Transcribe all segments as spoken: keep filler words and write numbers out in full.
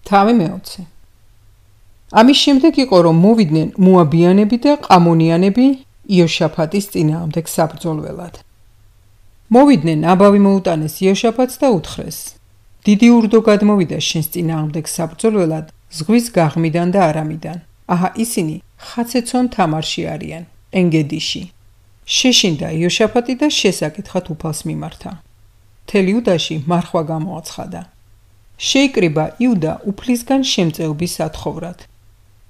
თავი მეოცე. ამის შემდეგ იყო რომ მოვიდნენ მოაბიანები და ყამონიანები იოშაფატის წინააღმდეგ საბრძოლველად. მოვიდნენ აბავი მოუტანეს იოშაფატს და უთხრეს: დიდი ურდო გადმოვიდა შენს წინააღმდეგ საბრძოლველად ზღვის გაღმიდან და არამიდან. აჰა ისინი ხაცეცონ თამარში არიან, ენგედიში. შეშინდა იოშაფატი და შესაკითხად უფალს მიმართა. მთელი იუდაში მარხვა გამოაცხადა. შეიკრიბა იუდა უფლისგან შემწეობის სათხოვრად.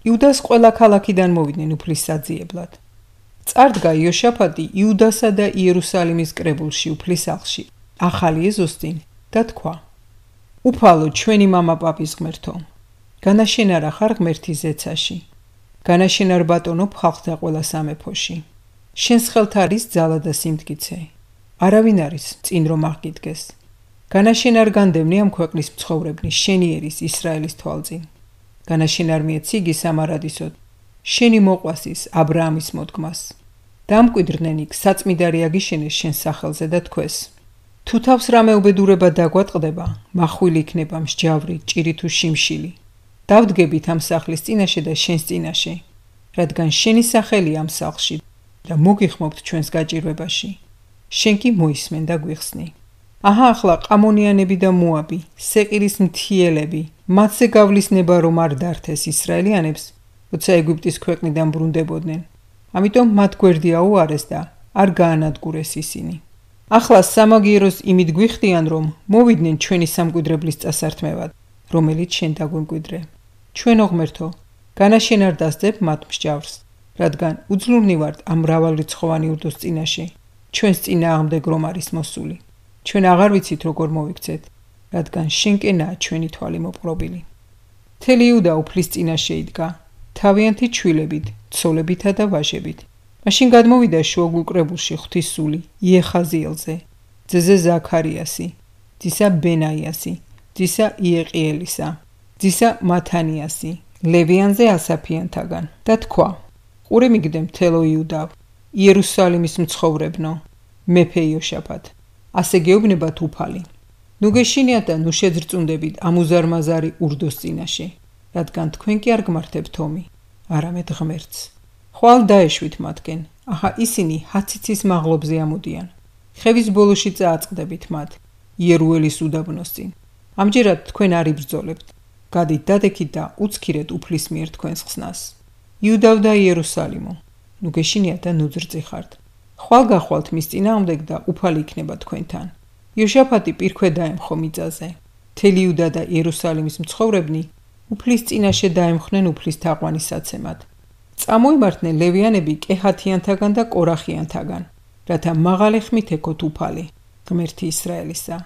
იუდას ყველა ქალაქიდან მოვიდნენ უფლის საძიებლად. წარდგა იოშაფატი იუდასა და იერუსალიმის კრებულში უფლის სახლში, ახალი ეზოსტინ და თქვა: უფალო ჩვენი მამა პაპის ღმერთო, განაშენარა ხარ ღმერთის ზეცაში, განაშენარ ბატონობ ხალხთა ყველა სამეფოში. შენს ხელთ არის ძალა და სიმტკიცე, არავინ არის წინ რომ აღგიდგეს. განაშენარ განდევნე ამ ქვეყნის მცხოვრებლის შენი ერის ისრაელის თვალწინ. განაშენარ მიეციგი სამარადისოდ, შენი მოყვასის აბრაამის მოდგმას. დამკვიდრდნენ იქ საწმიდარი აგიშენეს შენ სახელზე და თქვეს: თუ თავს რამე უბედურება დაგვატყდება, მახვილი იქნება მსჯავრი, ჭირი თუ შიმშილი. დავდგებით ამ სახლის წინაშე და შენს წინაშე, რადგან შენი სახელი ამ სახლში და მოგიხმობთ ჩვენს გაჭირვებაში. შენ კი მოისმენ და გვიხსნი. აჰა ახლა ყამონიანები და მოაბი, სეყირის მთიელები, მათზე გავლისნება რომ არ დართეს ისრაელიანებს, როცა ეგვიპტის ქვეყნიდან ბრუნდებოდნენ. ამიტომ მათ გვერდი აუარეს და არ გაანადგურეს ისინი. ახლა სამაგიეროს იმით გვიხდიან რომ მოვიდნენ ჩვენი სამკვიდრებლის წასართმევად, რომელიც შენ დაგვემკვიდრე. ჩვენო ღმერთო, განაშენ არ დასძებ მათ მსჯავრს, რადგან უძლურნი ვართ ამ მრავალრიცხოვანი ურდოს წინაშე, ჩვენს წინააღმდეგ რომ არის მოსული. ჩვენ აღარ ვიცით როგორ მოვიქცეთ, რადგან შენკენაა ჩვენი თვალი მოპყრობილი. მთელი იუდა უფლის წინაშე იდგა, თავიანთი ჩვილებით, ცოლებითა და ვაჟებით. მაშინ გადმოვიდა შუაგულ კრებულში ღვთის სული იეხაზიელზე, ძეზე ზაქარიასი, ძისა ბენაიასი, ძისა იეყიელისა, ძისა მათანიასი, ლევიანზე ასაფიანთაგან და თქვა: ყურე მიგდე მთელო იუდავ, იერუსალიმის მცხოვრებნო, მეფე იოშაფატ, ასე გეუბნებათ უფალი. ნუ გეშინიათ და ნუ შეძრწუნდებით ამ უზარმაზარი ურდოს წინაშე, რადგან თქვენ კი არ გმართებთ ომი, არამედ ღმერთს. ხვალ დაეშვით მათგენ, აჰა ისინი ჰაციცის მაღლობზე ამოდიან. ხევის ბოლოში წააწყდებით მათ, იერუელის უდაბნოს წინ. ამჯერად თქვენ არ იბრძოლებთ, გადით დადექით და უცქირეთ უფლის მიერ თქვენს ხსნას. იუდავ და იერუსალიმო, ნუ გეშინიათ და ნუ ძრწიხართ. ხვალ გახვალთ მის წინააღმდეგ და უფალი იქნება თქვენთან. იოშაფატი პირქვე დაემხო მიწაზე. მთელი იუდა და იერუსალიმის მცხოვრებნი უფლის წინაშე დაემხნენ უფლის თაყვანისაცემად. წამოიმართნენ ლევიანები კეჰათიანთაგან და კორახიანთაგან, რათა მაღალი ხმით ეკოთ უფალი, ღმერთი ისრაელისა.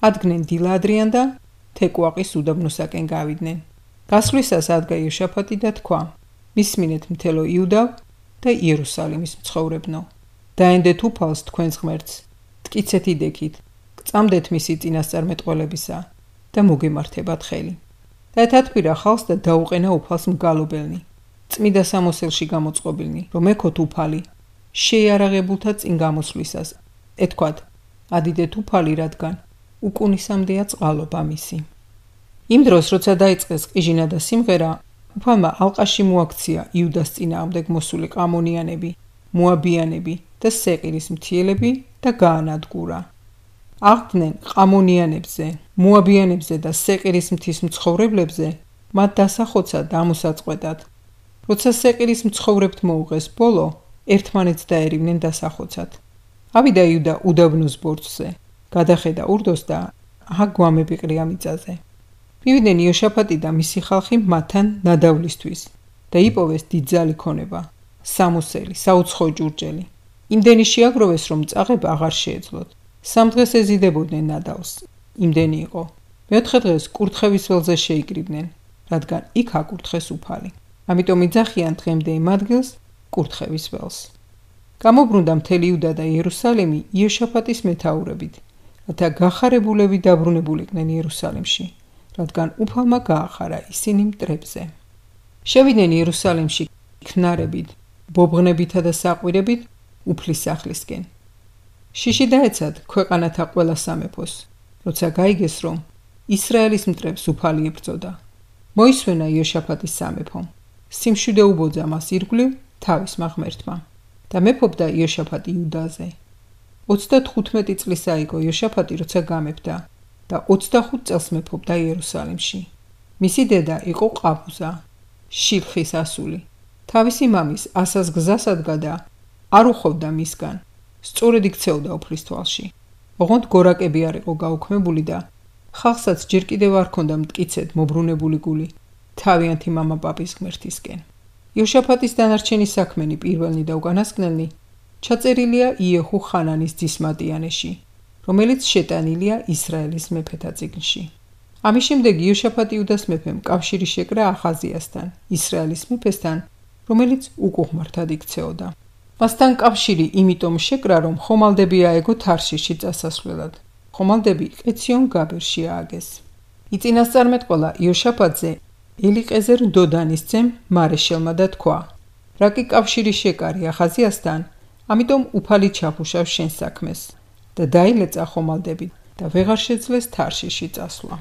ადგნენ დილადრიან და თეკვაყის უდაბნოსაკენ გავიდნენ. გასვლისას ადგა იოშაფატი და თქვა: მისმინეთ მთელო იუდა და იერუსალიმის მცხოვრებნო. დაენდეთ უფალს თქვენს ღმერთს, ტკიცეთ იდექით, გწამდეთ მისი წინასწარმეტყველებისა და მოგემართებათ ხელი. და ეთათბირა ხალხს და დაუყენა უფალს მგალობელნი. წმიდა სამოსელში გამოწყობილნი, რომ ეკოთ უფალი, შეიარაღებულთა წინ გამოსვლისას. ეთქვათ: ადიდეთ უფალი, რადგან უკუნისამდეა წყალობა მისი. იმ დროს, როცა დაიწყეს ყიჟინა და სიმღერა, უფალმა ალყაში მოაქცია იუდას წინააღმდეგ მოსული ყამონიანები, მოაბიანები და სეყირის მთიელები და გაანადგურა. აღდგნენ ყამონიანებზე, მოაბიანებზე და სეყირის მთის მცხოვრებლებზე, მათ დასახოცა და ამოსაწყვეტად. როცა სეყირის მცხოვრებთ მოუღეს ბოლო, ერთმანეთს დაერივნენ დასახოცად. ავიდა იუდა უდაბნოს ბორცვზე, გადახედა ურდოს და აჰა გვამები ყრია მიწაზე. მივიდნენ იოშაფატი და მისი ხალხი მათთან ნადავლისთვის და იპოვეს დიდძალი ქონება, სამოსელი, საუცხოო ჭურჭელი. იმდენი შეაგროვეს, რომ წაღება აღარ შეეძლოთ. სამ დღეს ეზიდებოდნენ ნადავლს, იმდენი იყო. მეოთხე დღეს კურთხევის ველზე შეიკრიბნენ, რადგან იქ აკურთხეს უფალი. ამიტომ იძახიან დღემდე იმ ადგილს კურთხევის ველს. გამობრუნდა მთელი იუდა და იერუსალიმი იოშაფატის მეთაურებით, რათა გახარებულები დაბრუნებულიყვნენ იერუსალიმში, რადგან უფალმა გაახარა ისინი მტრებზე. შევიდნენ იერუსალიმში ქნარებით, ბობღნებითა და საყვირებით უფლის სახლისკენ. შიში დაეცათ ქვეყანათა ყველა სამეფოს, როცა გაიგეს, რომ ისრაელის მტრებს უფალი ებრძოდა. მოისვენა იოშაფატის სამეფომ. სიმშვიდე უბოძა მას ირგვლივ თავისმა ღმერთმა და მეფობდა იოშაფატი იუდაზე. ოცდათხუთმეტი წლის აიგო იოშაფატი, როცა გამეფდა და ოცდახუთ წელს მეფობდა იერუსალიმში. მისი დედა იყო ყაბუზა, შილხის ასული. თავისი მამის ასას გზას ადგა და არ უხოვდა მისგან, სწორედ იქცეოდა უფლის თვალში. ოღონდ გორაკები არ იყო გაუქმებული და ხალხსაც ჯერ კიდევ არ ჰქონდა მტკიცედ მობრუნებული გული თავიანთი მამა პაპის ღმერთისკენ. იოშაფატის დანარჩენი საქმენი პირველნი და უკანასკნელნი ჩაწერილია იეჰუ ხანანის ძის მატიანეში, რომელიც შეტანილია ისრაელის მეფეთა წიგნში. ამის შემდეგ იოშაფატი იუდას მეფემ კავშირი შეკრა ახაზიასთან, ისრაელის მეფესთან, რომელიც უკუღმართად იქცეოდა. მასთან კავშირი იმიტომ შეკრა, რომ ხომალდები აეგო თარშიში წასასვლელად. ხომალდები ყეციონ გაბერში ააგეს. იწინასწარმეტყველა იოშაფატზე ელიყეზერ დოდანის ძემ მარეშელმა და თქვა: რა კი კავშირი შეკარი ახაზიასთან, ამიტომ უფალი ჩაფუშავს შენ საქმეს და დაილეწა ხომალდები და ვეღარ შეძლეს თარშიში წასვლა.